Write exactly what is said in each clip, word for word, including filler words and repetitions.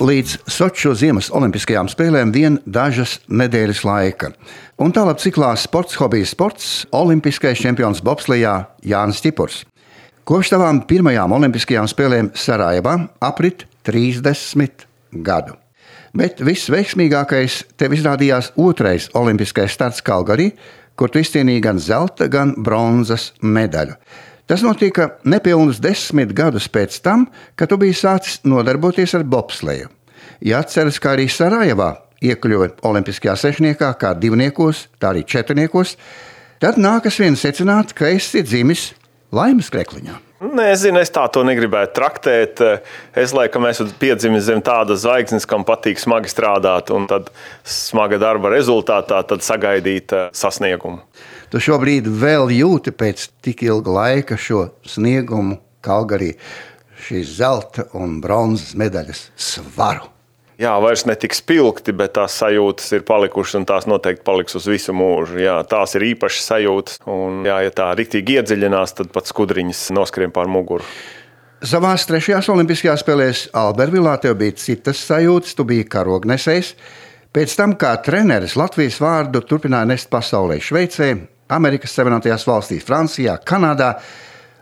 Līdz Soču ziemas olimpiskajām spēlēm vien dažas nedēļas laika. Un tālāk ciklā sports, hobijs sports, olimpiskais čempions bobslejā Jānis Čipurs. Kopš tavām pirmajām olimpiskajām spēlēm Sarajevā aprit trīsdesmit gadu. Bet visveiksmīgākais tev izrādījās otrais olimpiskais starts Kalgarī, kur tu izcīnīji gan zelta, gan bronzas medaļu. Tas notika nepilnus desmit gadus pēc tam, kad tu biji sācis nodarboties ar bobsleju. Ja atceras, kā arī Sarajevā iekļuva olimpiskajā sešniekā kā divniekos, tā arī četrniekos, tad nākas vien secināt, ka esi dzimis laimes krekliņā. Nezinu, es tā to negribētu traktēt. Es laikam esmu piedzimis zem tādas zvaigznes, kam patīk smagi strādāt, un tad smaga darba rezultātā tad sagaidīt sasniegumu. Tu šobrīd vēl jūti pēc tik ilga laika šo sniegumu Kalgarī, šīs zelta un bronzas medaļas svaru. Jā, vairs ne tik spilgti, bet tās sajūtas ir palikušas un tās noteikti paliks uz visu mūžu. Jā, tās ir īpašas sajūtas un jā, ja tā riktīgi iedziļinās, tad pat skudriņas noskrien pār muguru. Savās trešajās olimpiskajās spēlēs Albervilā tev bija citas sajūtas, tu biji karognesējs. Pēc tam, kā treneris Latvijas vārdu turpināja nest pasaulē Šveicē, Amerikas Savienotajās valstīs, Francijā, Kanādā,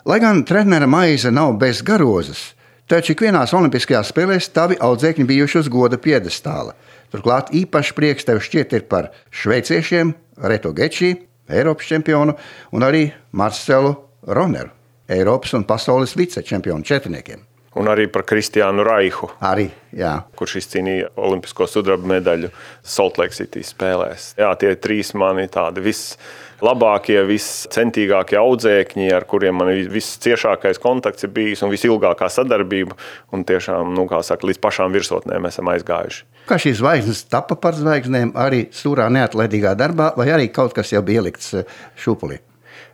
lai gan trenera maize nav bez garozas, taču ikvienās olimpiskajās spēlēs tavi audzēkņi bijuši uz goda piedestāla. Turklāt īpaši prieks tev šķiet ir par šveiciešiem Reto Gečī, Eiropas čempionu, un arī Marcelu Roneru, Eiropas un pasaules vicečempionu četrniekiem. Un arī par Kristiānu Raihu, arī, jā. kurš izcīnīja olimpisko sudraba medaļu Salt Lake City spēlēs. Jā, tie trīs mani tādi vislabākie, viscentīgākie audzēkņi, ar kuriem man visciešākais kontakts ir bijis un visilgākā sadarbība. Un tiešām, nu, kā saka, līdz pašām virsotnēm esam aizgājuši. Kā šīs zvaigznes tapa par zvaigznēm arī stūrā neatlaidīgā darbā, vai arī kaut kas jau bija ielikts šūpulī?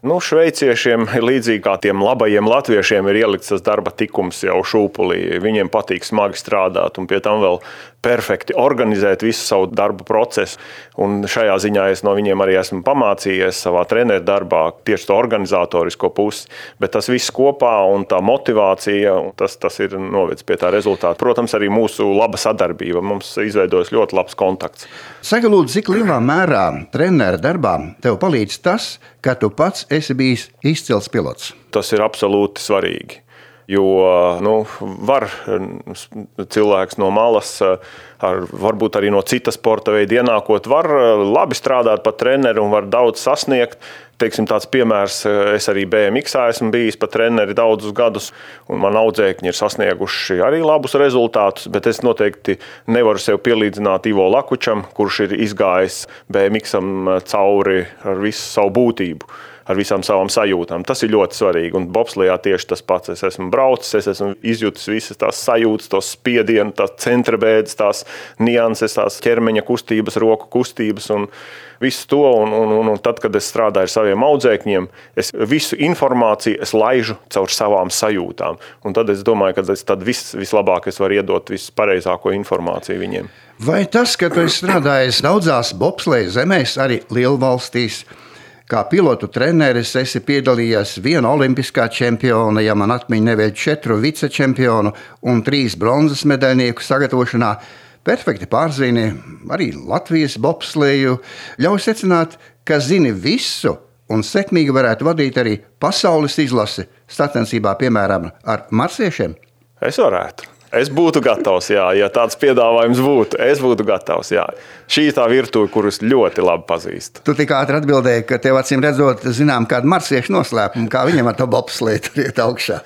Nu, šveiciešiem, līdzīgi kā tiem labajiem latviešiem, ir ielikts tas darba tikums jau šūpulī. Viņiem patīk smagi strādāt un pie tam vēl perfekti organizēt visu savu darbu procesu. Un šajā ziņā es no viņiem arī esmu pamācījies savā treneru darbā, tieši to organizatorisko pusi. Bet tas viss kopā un tā motivācija, tas, tas ir novedis pie tā rezultāta. Protams, arī mūsu laba sadarbība. Mums izveidojas ļoti labs kontakts. Saka, lūdzu, cik lielā mērā treneru darbā tev palīdz tas, ka tu pats esi bijis izcils pilots? Tas ir absolūti svarīgi. Jo nu, var cilvēks no malas, ar, varbūt arī no citas sporta veida ienākot, var labi strādāt par treneri un var daudz sasniegt. Teiksim, tāds piemērs, es arī B M X esmu bijis par treneri daudzus gadus, un man audzēkņi ir sasnieguši arī labus rezultātus, bet es noteikti nevaru sev pielīdzināt Ivo Lakučam, kurš ir izgājis B M X-am cauri ar visu savu būtību, ar visām savām sajūtām. Tas ir ļoti svarīgi, un bobslejā tieši tas pats. Es esmu braucis, es esmu izjutis visas tās sajūtas, tos spiedienu, tās centrabēdes, tās nianses, tās ķermeņa kustības, roku kustības un visu to. Un, un, un, un tad, kad es strādāju ar saviem audzēkņiem, es visu informāciju es laižu caur savām sajūtām. Un tad es domāju, ka es tad vis, vislabāk es varu iedot vispareizāko informāciju viņiem. Vai tas, ka tu esi strādājis daudzās bobsleja zemēs, arī lielvalstīs, kā pilotu treneris esi piedalījies viena olimpiskā čempiona, ja man atmiņa nevēl četru vicečempionu un trīs bronzas medaļnieku sagatavošanā, perfekti pārzini arī Latvijas bobsleju, ļauj secināt, ka zini visu un sekmīgi varētu vadīt arī pasaules izlasi sacensībā, piemēram, ar marsiešiem? Es varētu. Es būtu gatavs, jā, ja tāds piedāvājums būtu. Es būtu gatavs, jā. Šī ir tā virtuve, kurus ļoti labi pazīstu. Tu tik ātri atbildēji, ka tev acīm redzot, zinām, kādu marsiešu noslēpumu, kā viņam ar to bobsleju tur iet augšā.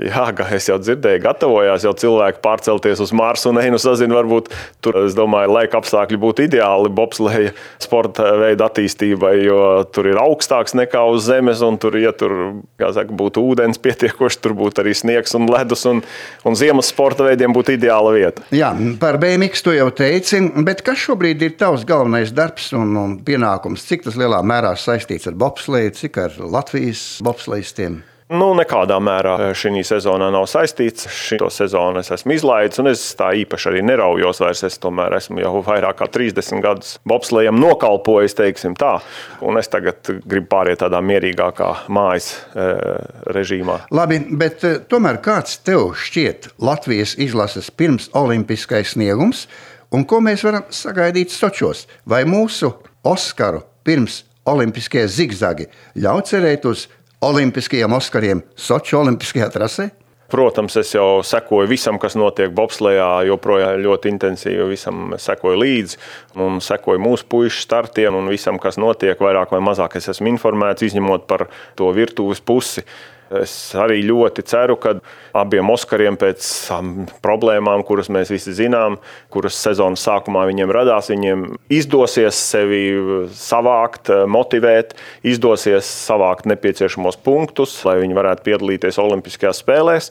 Jā, kā es jau dzirdēju, gatavojās jau cilvēki pārcelties uz Marsu un einu sazinu, varbūt tur, es domāju, laika apstākļi būtu ideāli bobsleja sporta veida attīstībai, jo tur ir augstāks nekā uz zemes un tur, ja tur, kā saka, būtu ūdens pietiekoši, tur būtu arī sniegs un ledus un, un ziemas sporta veidiem būtu ideāla vieta. Jā, par B M X tu jau teici, bet kas šobrīd ir tavs galvenais darbs un, un pienākums? Cik tas lielā mērā saistīts ar bobsleju, cik ar Latvijas bobslejistiem? Nu, nekādā mērā šī sezonā nav saistīts. Šo sezonu es esmu izlaidis, un es tā īpaši arī neraujos vairs. Es tomēr esmu jau vairāk kā trīsdesmit gadus bobslejam nokalpojis, teiksim tā. Un es tagad gribu pāriet tādā mierīgākā mājas e, režīmā. Labi, bet tomēr kāds tev šķiet Latvijas izlases pirms olimpiskais sniegums, un ko mēs varam sagaidīt Sočos? Vai mūsu Oskaru pirms olimpiskie zigzagi ļauj cerēt uz olimpiskajiem Oskariem Soču olimpiskajā trasē? Protams, es jau sekoju visam, kas notiek bobslejā, joprojām ļoti intensīvi visam sekoju līdzi un sekoju mūsu puišu startiem un visam, kas notiek, vairāk vai mazāk es esmu informēts, izņemot par to virtuves pusi. Es arī ļoti ceru, ka abiem Oskariem pēc problēmām, kuras mēs visi zinām, kuras sezonas sākumā viņiem radās, viņiem izdosies sevi savākt, motivēt, izdosies savākt nepieciešamos punktus, lai viņi varētu piedalīties Olimpiskajās spēlēs,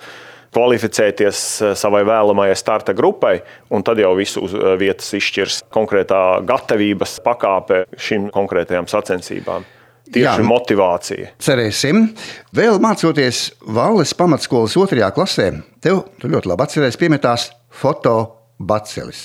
kvalificēties savai vēlamajai starta grupai, un tad jau visu uz vietas izšķirs konkrētā gatavības pakāpe šīm konkrētajām sacensībām. Tieši Jā, motivācija. Cerēsim. Vēl mācoties Valles pamatskolas otrajā klasē, tev, tu ļoti labi atceries, piemetās fotobacelis.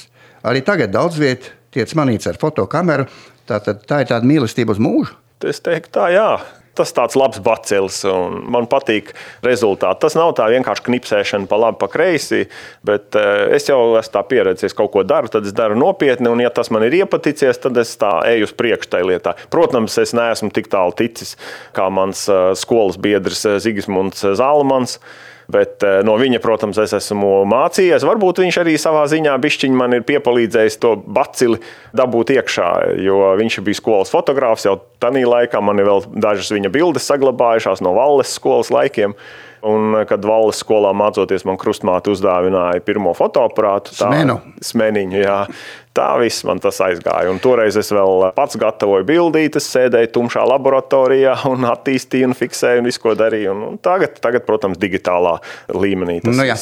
Arī tagad daudz viet tiec manīts ar fotokameru. Tātad tā ir tāda mīlestība uz mūžu? Es teiktu tā, jā. Tas tāds labs bacelis, un man patīk rezultāti. Tas nav tā vienkārši knipsēšana pa labi, pa kreisi, bet es jau esmu tā pieredzējis, kaut ko daru, tad es daru nopietni, un ja tas man ir iepaticies, tad es tā eju uz priekšu tai lietā. Protams, es neesmu tik tālu ticis, kā mans skolas biedrs Zigismunds Zālamans, bet no viņa, protams, es esmu mācījies. Varbūt viņš arī savā ziņā bišķiņ man ir piepalīdzējis to bacili dabūt iekšā, jo viņš bija skolas fotogrāfs jau tanī laikā. Man ir vēl dažas viņa bildes saglabājušās no Valles skolas laikiem. Un, kad Valles skolā mācoties, man krustmāte uzdāvināja pirmo fotoaparātu. Tā, Smenu. Smeniņu, jā. Tā viss man tas aizgāja. Un toreiz es vēl pats gatavoju bildītes, sēdēju tumšā laboratorijā un attīstīju un fiksēju un visu, ko darīju. Un tagad, tagad, protams, digitālā līmenī tas nu, jā.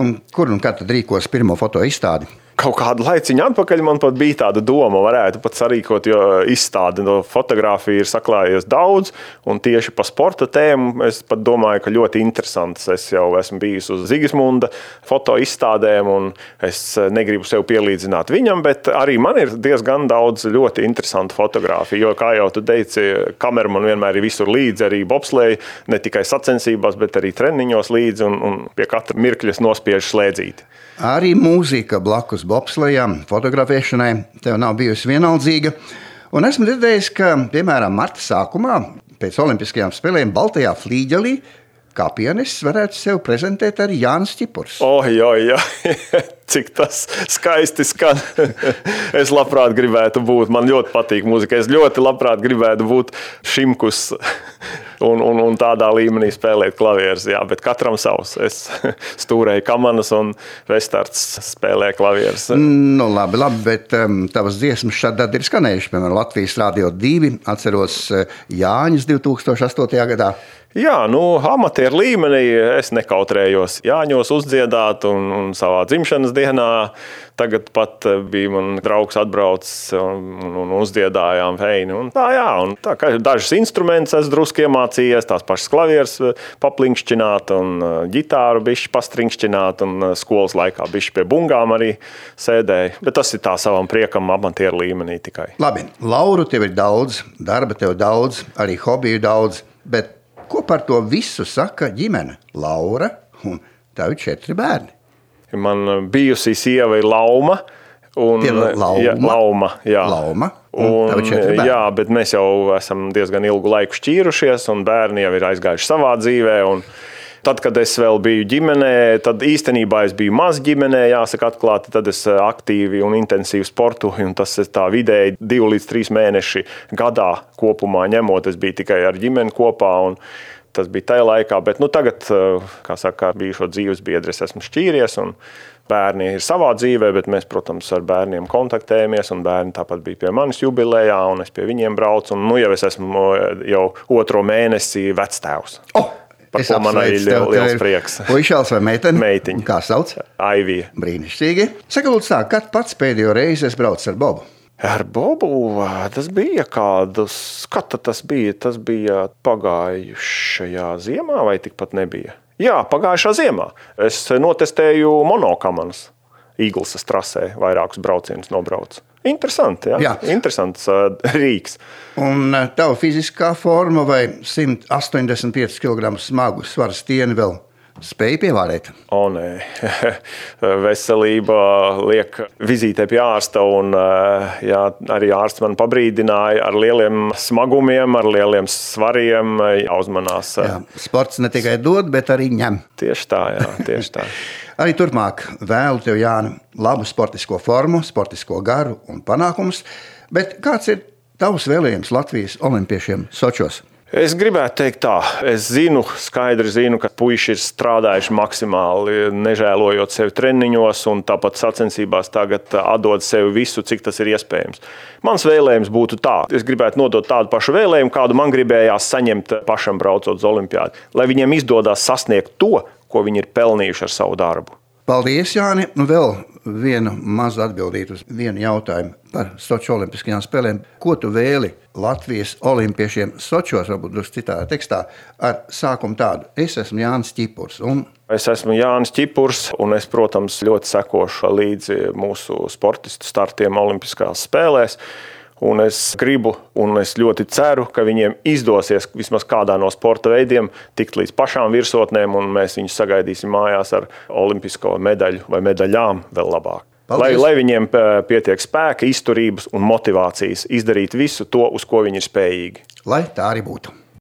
Un kur un kad tad rīkos pirmo foto izstādi? Kaut kādu laiciņu atpakaļ man pat bija tāda doma, varētu pat sarīkot, jo izstāde no fotogrāfija ir saklājies daudz, un tieši pa sporta tēmu es pat domāju, ka ļoti interesants. Es jau esmu bijis uz Zigismunda foto izstādēm, un es negribu sev pielīdzināt viņam, bet arī man ir diezgan daudz ļoti interesantu fotogrāfiju, jo, kā jau tu teici, kamera man vienmēr ir visur līdzi, arī bobsleja, ne tikai sacensībās, bet arī treniņos līdzi, un, un pie katra mirkļa nospiež slēdzīti. Arī mūzika blakus bobslejām, fotografēšanai tev nav bijusi vienaldzīga. Un esmu dzirdējis, ka, piemēram, marta sākumā pēc olimpiskajām spēlēm Baltajā flīģelī kā pianists varētu sev prezentēt arī Jānis Ķipurs. Oh, jā, jā. Cik tas skaisti skan. Es labprāt gribētu būt, man ļoti patīk mūzika, es ļoti labprāt gribētu būt Šimkus un, un, un tādā līmenī spēlēt klavierus, jā, bet katram savs. Es stūrēju kamanas un Vestards spēlē klavierus. Nu, labi, labi, bet um, tavas dziesmas šādi ir skanējuši, piemēram, Latvijas Rādio divi, atceros uh, Jāņus divi tūkstoši astotajā gadā. Jā, nu, amatieru līmenī es nekautrējos Jāņos uzdziedāt un, un savā dzimšanas dienā. Tagad pat bija man draugs atbraucis un, un uzdziedājām feini. Un tā, jā, un tā kā dažas instrumentus es drusku iemācījies, tās pašas klavieres paplinkšķināt un ģitāru bišķi pastrinkšķināt un skolas laikā bišķi pie bungām arī sēdēju. Bet tas ir tā savam priekam amatieru līmenī tikai. Labi, lauru tev ir daudz, darba tev daudz, arī hobiju daudz, bet ko par to visu saka ģimene? Laura un tavi četri bērni. Man bijusī sieva ir Lauma. Un, Lauma? Jā, Lauma, jā. Lauma un, un tavi četri bērni. Jā, bet mēs jau esam diezgan ilgu laiku šķīrušies, un bērni jau ir aizgājuši savā dzīvē. Un tad, kad es vēl biju ģimenē, tad īstenībā es biju maz ģimenē, jāsaka atklāti, tad es aktīvi un intensīvi sportoju, un tas ir tā vidēji divi līdz trīs mēneši gadā kopumā ņemot, es biju tikai ar ģimeni kopā, un tas bija tajā laikā, bet nu tagad, kā saka, bijušo dzīves biedri, es esmu šķīries, un bērni ir savā dzīvē, bet mēs, protams, ar bērniem kontaktējamies, un bērni tāpat bija pie manis jubilejā, un es pie viņiem braucu, un nu jau es esmu jau otro mēnesi vectēvs. Oh! Par ko man arī liels prieks. Puišāls vai meiteni? Meitiņa. Kā sauc? Aivija. Brīnišķīgi. Saka, lūdzu tā, kad pats pēdējo reizi es braucu ar Bobu? Ar Bobu tas bija kādus, kad tas bija? Tas bija pagājušajā ziemā vai tikpat nebija? Jā, pagājušā ziemā. Es notestēju monokamanas Īglesas trasē, vairākus braucienus nobraucu. Interesanti, jā. jā. Interesants uh, rīks. Un uh, tava fiziskā forma vai simt astoņdesmit pieci kilogramu smagu svaru stieni vēl spēja pievārēt? O, nē. Veselība liek vizītē pie ārsta, un jā, arī ārsts man pabrīdināja ar lieliem smagumiem, ar lieliem svariem jāuzmanās. Jā, sports ne tikai dod, bet arī ņem. Tieši tā, jā, tieši tā. Arī turpmāk vēlu tev, Jāni, labu sportisko formu, sportisko garu un panākumus, bet kāds ir tavs vēlējums Latvijas olimpiešiem Sočos? Es gribētu teikt tā, es zinu, skaidri zinu, ka puiši ir strādājuši maksimāli, nežēlojot sevi treniņos un tāpat sacensībās tagad atdod sevi visu, cik tas ir iespējams. Mans vēlējums būtu tā, es gribētu nodot tādu pašu vēlējumu, kādu man gribējās saņemt pašam braucot uz olimpiādu, lai viņiem izdodās sasniegt to, ko viņi ir pelnījuši ar savu darbu. Paldies, Jāni. Nu, vēl vienu mazu atbildīt uz vienu jautājumu par Soču olimpiskajām spēlēm. Ko tu vēli Latvijas olimpiešiem Sočos, varbūt drusku citā tekstā, ar sākumu tādu? Es esmu Jānis Ķipurs. Un... Es esmu Jānis Ķipurs, un es, protams, ļoti sekošu līdzi mūsu sportistu startiem olimpiskās spēlēs. Un es gribu, un es ļoti ceru, ka viņiem izdosies vismaz kādā no sporta veidiem tikt līdz pašām virsotnēm, un mēs viņus sagaidīsim mājās ar olimpisko medaļu vai medaļām vēl labāk. Lai, lai viņiem pietiek spēka, izturības un motivācijas izdarīt visu to, uz ko viņi ir spējīgi. Lai tā arī būtu.